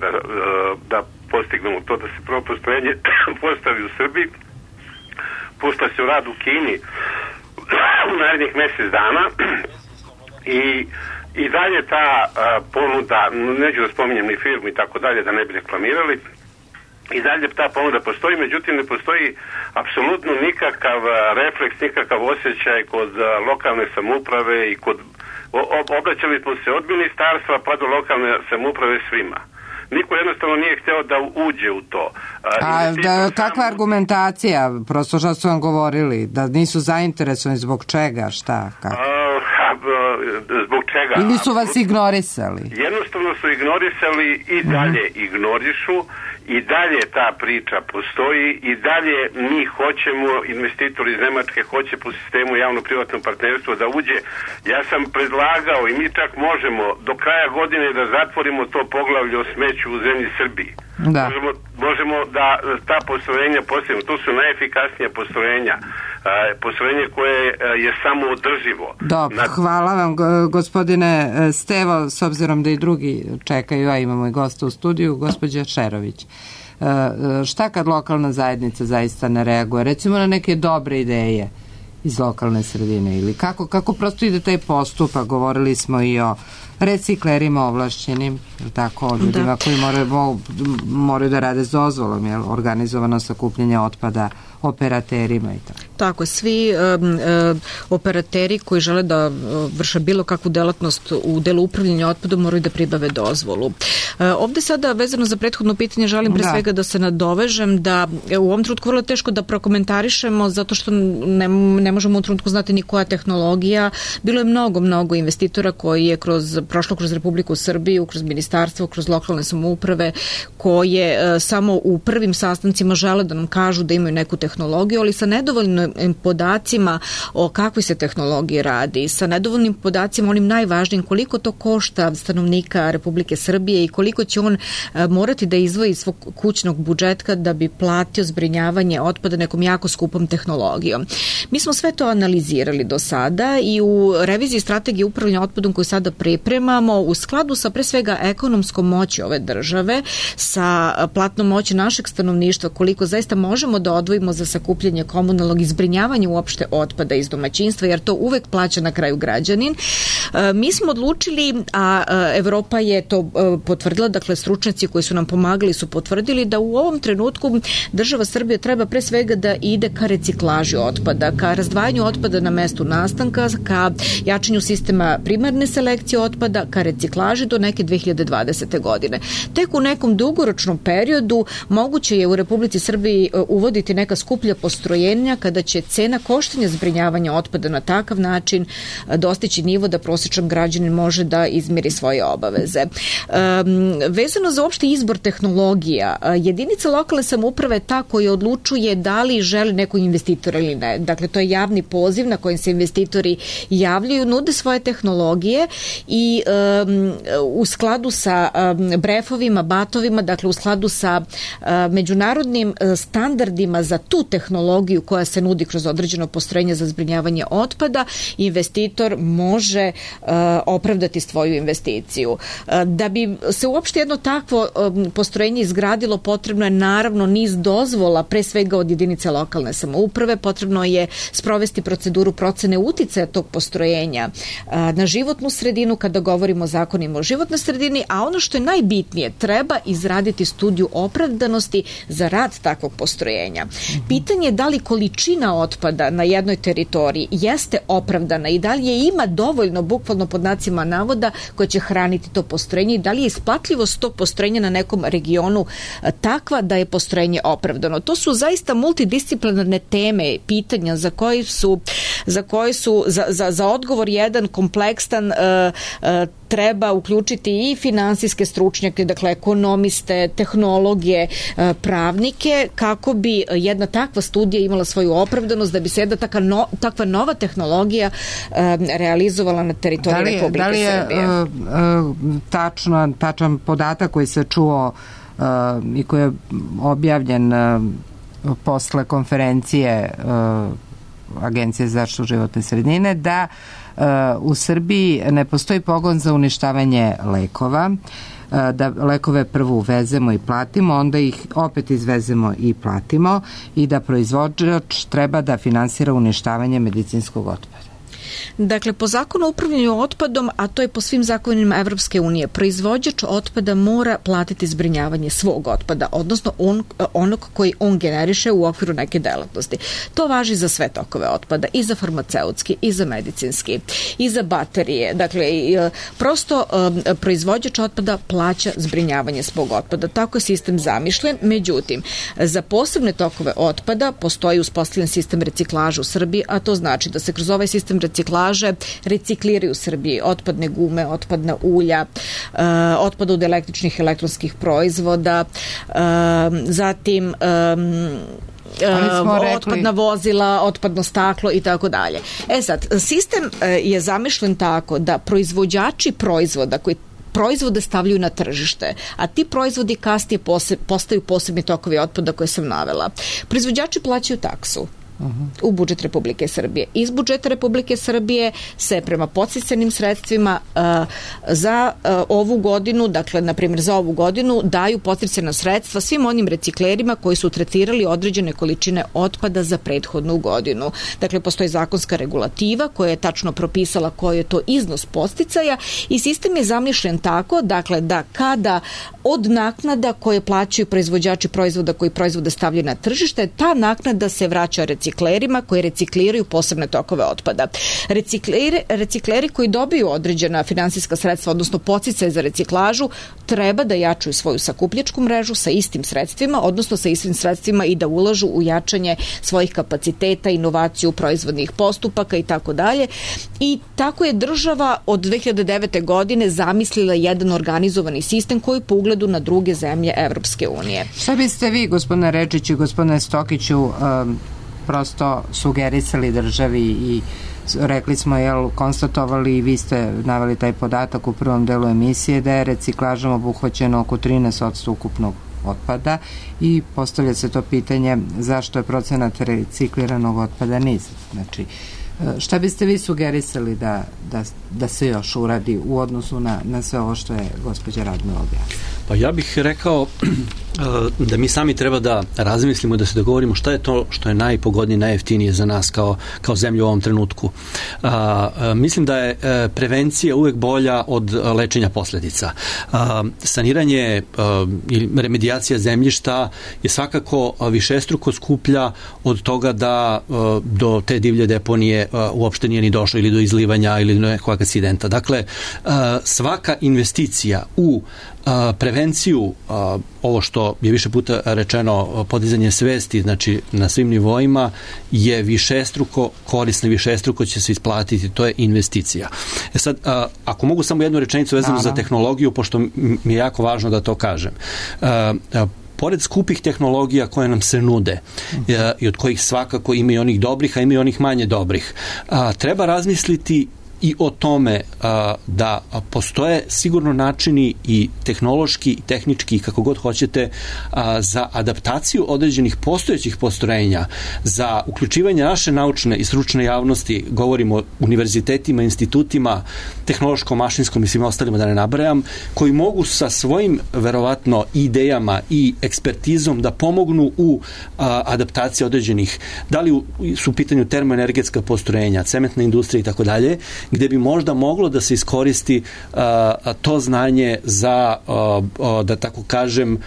S22: da postignemo to, da se prvo postrojenje postavi u Srbiji. Pušta se u rad u Kini u narednih mjesec dana i dalje ta ponuda, neću da spominjem ni firmu i tako dalje, da ne bi reklamirali, i dalje ta ponuda postoji, međutim ne postoji apsolutno nikakav refleks, nikakav osjećaj kod lokalne samouprave i kod obraćali smo se od ministarstva pa do lokalne samouprave svima. Niko jednostavno nije htio da uđe u to.
S1: Kakva argumentacija? Prosto što su vam govorili? Da nisu zainteresovani zbog čega? Šta? Kako?
S22: Zbog čega?
S1: Ili su vas ignorisali?
S22: Jednostavno su ignorisali i dalje ignorišu. I dalje ta priča postoji i dalje mi hoćemo, investitor iz Nemačke hoće po sistemu javno-privatno partnerstvo da uđe. Ja sam predlagao i mi čak možemo do kraja godine da zatvorimo to poglavlje o smeću u zemlji Srbiji.
S1: Da.
S22: Možemo da ta postrojenja postavimo. To su najefikasnija postrojenja. Postrojenje koje je samo održivo.
S1: Dobro, hvala vam gospodine Stevo, s obzirom da i drugi čekaju, a imamo i gosta u studiju, gospođa Šerović. Šta kad lokalna zajednica zaista ne reaguje? Recimo na neke dobre ideje iz lokalne sredine ili kako prosto ide taj postupak? Govorili smo i o reciklerima ovlašćenim, tako, o ljudima koji moraju da rade s dozvolom, organizovano sakupljanje otpada, operaterima i tako.
S4: Tako, svi operateri koji žele da vrše bilo kakvu delatnost u delu upravljanja otpadom moraju da pribave dozvolu. Ovde sada, vezano za prethodno pitanje, želim pre svega da se nadovežem da u ovom trenutku vrlo teško da prokomentarišemo zato što ne možemo u trenutku znati ni koja tehnologija. Bilo je mnogo investitora koji je kroz prošlo kroz Republiku Srbiju, kroz ministarstvo, kroz lokalne samouprave, koje samo u prvim sastancima žele da nam kažu da imaju neku tehnologiju, ali sa nedovoljnim podacima o kakvoj se tehnologiji radi, sa nedovoljnim podacima onim najvažnijim koliko to košta stanovnika Republike Srbije i koliko će on morati da izdvoji iz svog kućnog budžeta da bi platio zbrinjavanje otpada nekom jako skupom tehnologijom. Mi smo sve to analizirali do sada i u reviziji strategije upravljanja otpadom koju sada pripremamo u skladu sa pre svega ekonomskom moći ove države, sa platnom moći našeg stanovništva, koliko zaista možemo da odvojimo za sakupljanje komunalnog i zbrinjavanje uopšte otpada iz domaćinstva, jer to uvek plaća na kraju građanin. Mi smo odlučili, a Evropa je to potvrdila, dakle stručnjaci koji su nam pomagali su potvrdili da u ovom trenutku država Srbija treba pre svega da ide ka reciklaži otpada, ka razdvajanju otpada na mestu nastanka, ka jačanju sistema primarne selekcije otpada, ka reciklaži do neke 2020. godine. Tek u nekom dugoročnom periodu moguće je u Republici Srbiji uvoditi neka skuplja postrojenja kada će cena koštanja zbrinjavanja otpada na takav način dostići nivo da prosječan građanin može da izmiri svoje obaveze. Vezano za uopšte izbor tehnologija, jedinica lokalne samouprave je ta koja odlučuje da li želi neko investitor ili ne. Dakle, to je javni poziv na kojem se investitori javljaju, nude svoje tehnologije i u skladu sa brefovima, batovima, dakle u skladu sa međunarodnim standardima za tu tehnologiju koja se nudi kroz određeno postrojenje za zbrinjavanje otpada, investitor može opravdati svoju investiciju. Da bi se uopšte jedno takvo postrojenje izgradilo, potrebno je naravno niz dozvola, pre svega od jedinice lokalne samouprave, potrebno je sprovesti proceduru procene uticaja tog postrojenja na životnu sredinu kada govorimo o zakonima o životnoj sredini, a ono što je najbitnije, treba izraditi studiju opravdanosti za rad takvog postrojenja. Pitanje je da li količina otpada na jednoj teritoriji jeste opravdana i da li je ima dovoljno, bukvalno pod znacima navoda, koja će hraniti to postrojenje i da li je isplatljivost tog postrojenja na nekom regionu takva da je postrojenje opravdano. To su zaista multidisciplinarne teme, pitanja za odgovor jedan kompleksan treba uključiti i finansijske stručnjake, dakle ekonomiste, tehnologe, pravnike, kako bi jedna takva studija imala svoju opravdanost, da bi se jedna takva nova tehnologija realizovala na teritoriji Republike Srbije.
S1: Da li je tačan podatak koji se čuo i koji je objavljen posle konferencije Agencije za zaštitu životne sredine, da u Srbiji ne postoji pogon za uništavanje lekova, da lekove prvo uvezemo i platimo, onda ih opet izvezemo i platimo i da proizvođač treba da finansira uništavanje medicinskog otpada.
S4: Dakle, po zakonu o upravljanju otpadom, a to je po svim zakonima Evropske unije, proizvođač otpada mora platiti zbrinjavanje svog otpada, odnosno onog koji on generiše u okviru neke delatnosti. To važi za sve tokove otpada, i za farmaceutski, i za medicinski, i za baterije. Dakle, prosto proizvođač otpada plaća zbrinjavanje svog otpada. Tako je sistem zamišljen. Međutim, za posebne tokove otpada postoji uspostavljen sistem reciklaže u Srbiji, a to znači da se kroz ovaj sistem reciklaže recikliraju u Srbiji otpadne gume, otpadna ulja, otpad od električnih i elektronskih proizvoda, zatim otpadna vozila, otpadno staklo i tako dalje. Sad, sistem je zamišljen tako da proizvođači proizvoda koji proizvode stavljaju na tržište, a ti proizvodi kasnije postaju posebni tokovi otpada koje sam navela. Proizvođači plaćaju taksu u budžet Republike Srbije. Iz budžeta Republike Srbije se prema podsticajnim sredstvima za ovu godinu, dakle, na primjer za ovu godinu, daju podsticajna sredstva svim onim reciklerima koji su tretirali određene količine otpada za prethodnu godinu. Dakle, postoji zakonska regulativa koja je tačno propisala koji je to iznos podsticaja i sistem je zamišljen tako, dakle, da kada od naknada koje plaćaju proizvođači proizvoda koji proizvode stavljaju na tržište, ta naknada se vraća reciklažu reciklerima koji recikliraju posebne tokove otpada. Recikleri koji dobiju određena finansijska sredstva, odnosno podsticaje za reciklažu, treba da jačaju svoju sakupljačku mrežu sa istim sredstvima, odnosno sa istim sredstvima i da ulažu u jačanje svojih kapaciteta, inovaciju proizvodnih postupaka i tako dalje. I tako je država od 2009. godine zamislila jedan organizovani sistem koji po ugledu na druge zemlje Evropske unije.
S1: Šta biste vi, gospodine Redžiću i gospodine Stokiću, prosto sugerisali državi i rekli smo, konstatovali i vi ste naveli taj podatak u prvom delu emisije da je reciklažom obuhvaćeno oko 13% ukupnog otpada i postavlja se to pitanje zašto je procenat recikliranog otpada nizak. Znači, šta biste vi sugerisali da se još uradi u odnosu na sve ovo što je gospođa Radmila objasnila?
S5: Pa ja bih rekao da mi sami treba da razmislimo i da se dogovorimo šta je to što je najpogodnije, najjeftinije za nas kao zemlju u ovom trenutku. Mislim da je prevencija uvek bolja od lečenja posljedica. Saniranje ili remedijacija zemljišta je svakako višestruko skuplja od toga da do te divlje deponije uopšte nije ni došlo ili do izlivanja ili do nekog akcidenta. Dakle, svaka investicija u prevenciju, ovo što je više puta rečeno, podizanje svesti, znači na svim nivoima, je višestruko korisno, višestruko će se isplatiti, to je investicija. Sad, ako mogu samo jednu rečenicu vezanu za tehnologiju, pošto mi je jako važno da to kažem. Pored skupih tehnologija koje nam se nude i od kojih svakako ima i onih dobrih, a ima i onih manje dobrih, treba razmisliti i o tome da postoje sigurno načini i tehnološki i tehnički, kako god hoćete, za adaptaciju određenih postojećih postrojenja, za uključivanje naše naučne i stručne javnosti, govorimo o univerzitetima, institutima, tehnološkom, mašinskom i svim ostalima da ne nabrajam, koji mogu sa svojim verovatno idejama i ekspertizom da pomognu u adaptaciji određenih, da li su u pitanju termoenergetska postrojenja, cementna industrija i tako dalje, gde bi možda moglo da se iskoristi to znanje za, da tako kažem,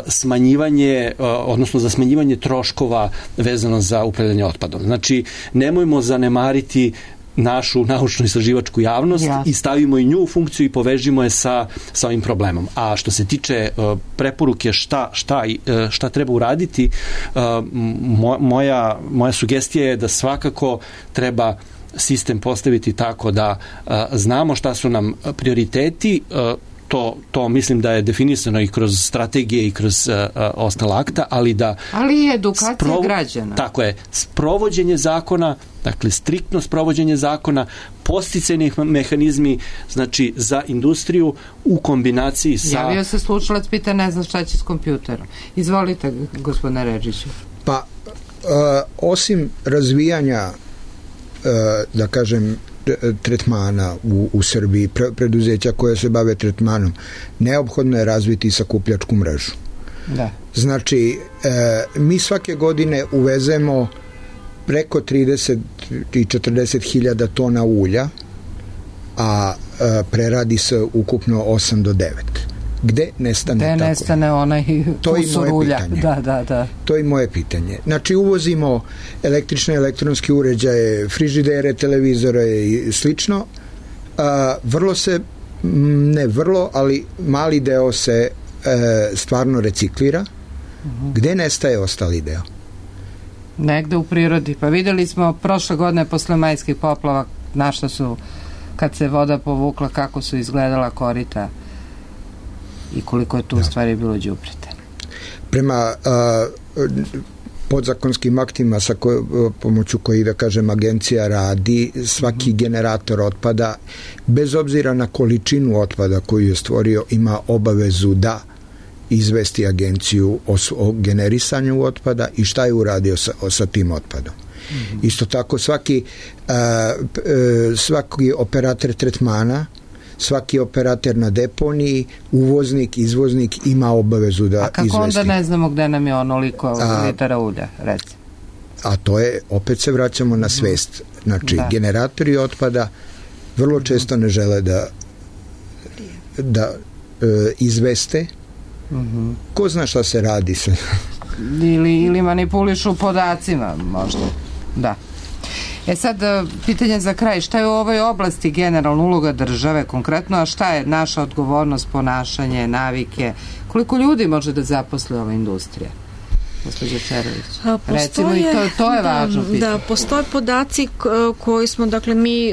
S5: smanjivanje, odnosno za smanjivanje troškova vezano za upravljanje otpadom. Znači, nemojmo zanemariti našu naučno-istraživačku javnost i stavimo i nju u funkciju i povežimo je sa ovim problemom. A što se tiče preporuke šta treba uraditi, moja sugestija je da svakako treba sistem postaviti tako da znamo šta su nam prioriteti, to mislim da je definisano i kroz strategije i kroz ostala akta, ali
S1: i edukacija građana.
S5: Tako je, sprovođenje zakona, dakle striktno sprovođenje zakona, podsticajni mehanizmi, znači za industriju u kombinaciji sa...
S1: Javio se slušalac, pita ne znam šta će s kompjuterom. Izvolite, gospodine Redžiću.
S2: Pa, osim razvijanja da kažem tretmana u Srbiji, preduzeća koje se bave tretmanom, neophodno je razviti sakupljačku mrežu.
S1: Da.
S2: Znači, mi svake godine uvezemo preko 30 i 40 hiljada tona ulja, a preradi se ukupno 8 do 9. Gde nestane tako?
S1: Gde nestane onaj kusur ulja. Da.
S2: To je moje pitanje. Znači, uvozimo električne, elektronske uređaje, frižidere, televizore i slično. Ali mali deo se stvarno reciklira. Gde nestaje ostali deo?
S1: Negde u prirodi. Pa videli smo prošle godine posle majskih poplava na što su, kad se voda povukla, kako su izgledala korita i koliko je tu u stvari bilo đubreta.
S2: Prema podzakonskim aktima pomoću kojih, da kažem, agencija radi, svaki generator otpada, bez obzira na količinu otpada koju je stvorio, ima obavezu da izvesti agenciju o generisanju otpada i šta je uradio sa tim otpadom. Isto tako svaki operator tretmana, svaki operator na deponiji, uvoznik, izvoznik ima obavezu da izvesti. A
S1: kako onda ne znamo gde nam je onoliko litara ulja, recimo?
S2: A to je, opet se vraćamo na svest. Znači, generatori otpada vrlo često ne žele da izveste. Ko zna šta se radi sa
S1: ili manipulišu podacima možda. Da. Sad, pitanje za kraj, šta je u ovoj oblasti generalna uloga države konkretno, a šta je naša odgovornost, ponašanje, navike, koliko ljudi može da zaposli ova industrija? Gospođa Čerović. Recimo, i to je važno pitanje.
S4: Da, postoje podaci koji smo, dakle, mi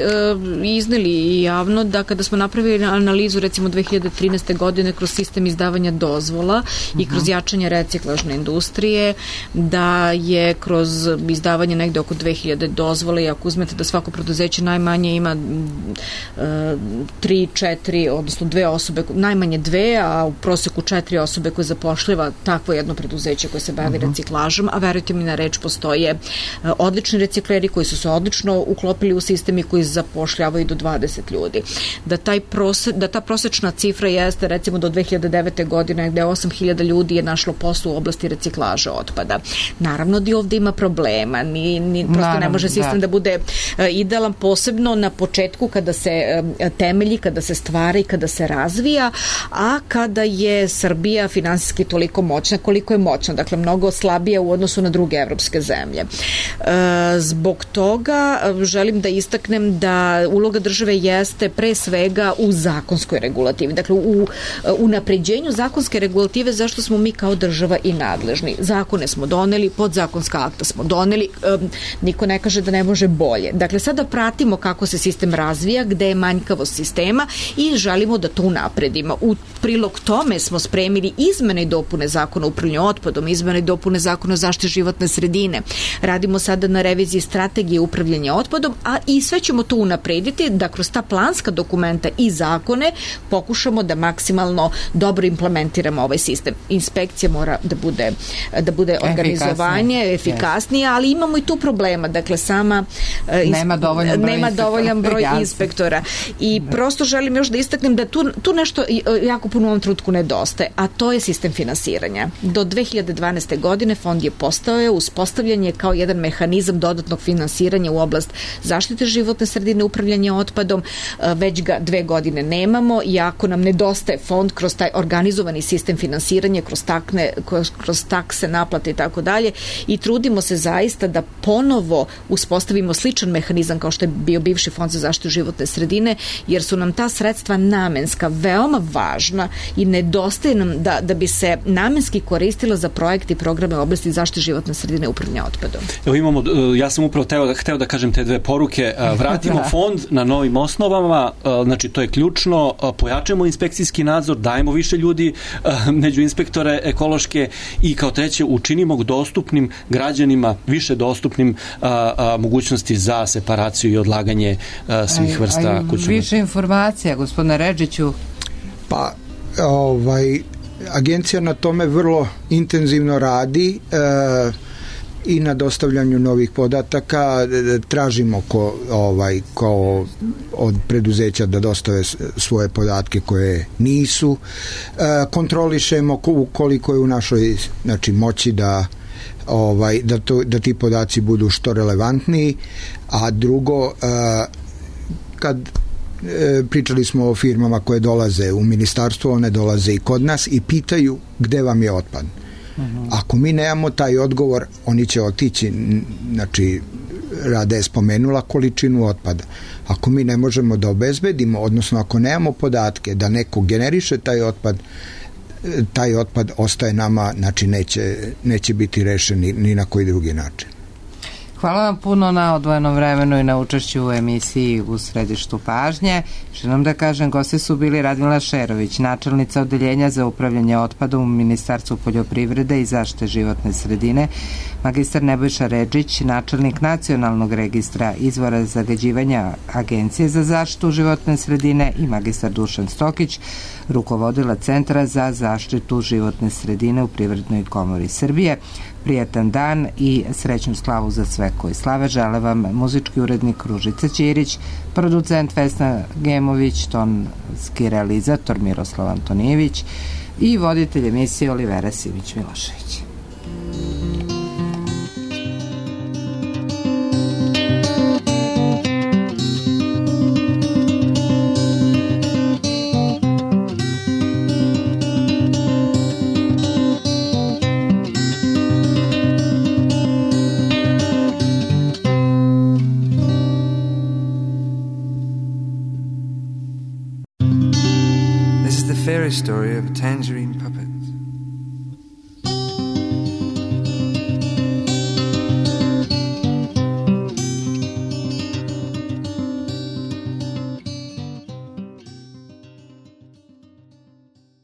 S4: izneli javno, da kada smo napravili analizu, recimo 2013. godine kroz sistem izdavanja dozvola i kroz jačanje reciklažne industrije, da je kroz izdavanje negde oko 2000 dozvola, i ako uzmete da svako preduzeće najmanje ima 3, 4, odnosno 2 osobe, najmanje 2, a u proseku 4 osobe koje zapošljava takvo jedno preduzeće koje se bavi reciklažom, a verujte mi na reč, postoje odlični recikleri koji su se odlično uklopili u sistem i koji zapošljavaju do 20 ljudi. Da ta prosečna cifra jeste, recimo, do 2009. godine gde 8000 ljudi je našlo posao u oblasti reciklaža otpada. Naravno da i ovde ima problema, prosto ne može sistem da bude idealan, posebno na početku kada se temelji, kada se stvara i kada se razvija, a kada je Srbija finansijski toliko moćna koliko je moćna, dakle mnogo slabija u odnosu na druge evropske zemlje. Zbog toga želim da istaknem da uloga države jeste pre svega u zakonskoj regulativi, dakle u unapređenju zakonske regulative, zašto smo mi kao država i nadležni. Zakone smo doneli, podzakonska akta smo doneli, niko ne kaže da ne može bolje. Dakle, sada pratimo kako se sistem razvija, gde je manjkavost sistema i želimo da to unapredimo. U prilog tome smo spremili izmene i dopune zakona o upravljanju otpadom, izmene i dopune zakona o zaštiti životne sredine. Radimo sada na reviziji strategije upravljanja otpadom, a i sve ćemo to unaprediti da kroz ta planska dokumenta i zakone pokušamo da maksimalno dobro implementiramo ovaj sistem. Inspekcija mora da bude organizovanje, efikasnije, ali imamo i tu problema. Dakle, nema dovoljan broj inspektora. I prosto želim još da istaknem da tu nešto jako puno u ovom trenutku nedostaje, a to je sistem finansiranja. Do 2012. godine fond je uspostavljen je kao jedan mehanizam dodatnog finansiranja u oblast zaštite životne sredine, upravljanja otpadom, već ga 2 godine nemamo, i ako nam nedostaje fond kroz taj organizovani sistem finansiranja, kroz takse, naplate i tako dalje, i trudimo se zaista da ponovo uspostavimo sličan mehanizam kao što je bio bivši fond za zaštitu životne sredine, jer su nam ta sredstva namenska veoma važna i nedostaje nam da bi se namenski koristila za projekte i programe u oblasti zaštite životne sredine i upravljanja otpadom.
S5: Evo imamo, ja sam upravo hteo da kažem te 2 poruke. Vratimo fond na novim osnovama, znači to je ključno, pojačamo inspekcijski nadzor, dajemo više ljudi među inspektore ekološke i kao treće učinimo dostupnim građanima, više dostupnim mogućnosti za separaciju i odlaganje svih vrsta kućnog.
S1: Više informacija, gospodine Redžiću.
S2: Pa, agencija na tome vrlo intenzivno radi i na dostavljanju novih podataka. Tražimo kao od preduzeća da dostave svoje podatke koje nisu. Kontrolišemo koliko je u našoj moći da ti podaci budu što relevantniji, a drugo, kad pričali smo o firmama koje dolaze u ministarstvo, one dolaze i kod nas i pitaju gde vam je otpad. Ako mi nemamo taj odgovor, oni će otići, znači Rada je spomenula količinu otpada. Ako mi ne možemo da obezbedimo, odnosno ako nemamo podatke da neko generiše taj otpad ostaje nama, znači neće biti rešen ni na koji drugi način.
S1: Hvala vam puno na odvojenom vremenu i na učešću u emisiji U središtu pažnje. Želim da kažem, gosti su bili Radmila Šerović, načelnica Odeljenja za upravljanje otpadom u Ministarstvu poljoprivrede i zaštite životne sredine, magistar Nebojša Redžić, načelnik Nacionalnog registra izvora zagađivanja Agencije za zaštitu životne sredine, i magistar Dušan Stokić, rukovodila Centra za zaštitu životne sredine u Privrednoj komori Srbije. Prijatan dan i srećnu slavu za sve koji slave. Žele vam muzički urednik Ružica Ćirić, producent Vesna Gemović, tonski realizator Miroslav Antonijević i voditelj emisije Olivera Simić-Milošević.
S3: fairy story of a tangerine puppet.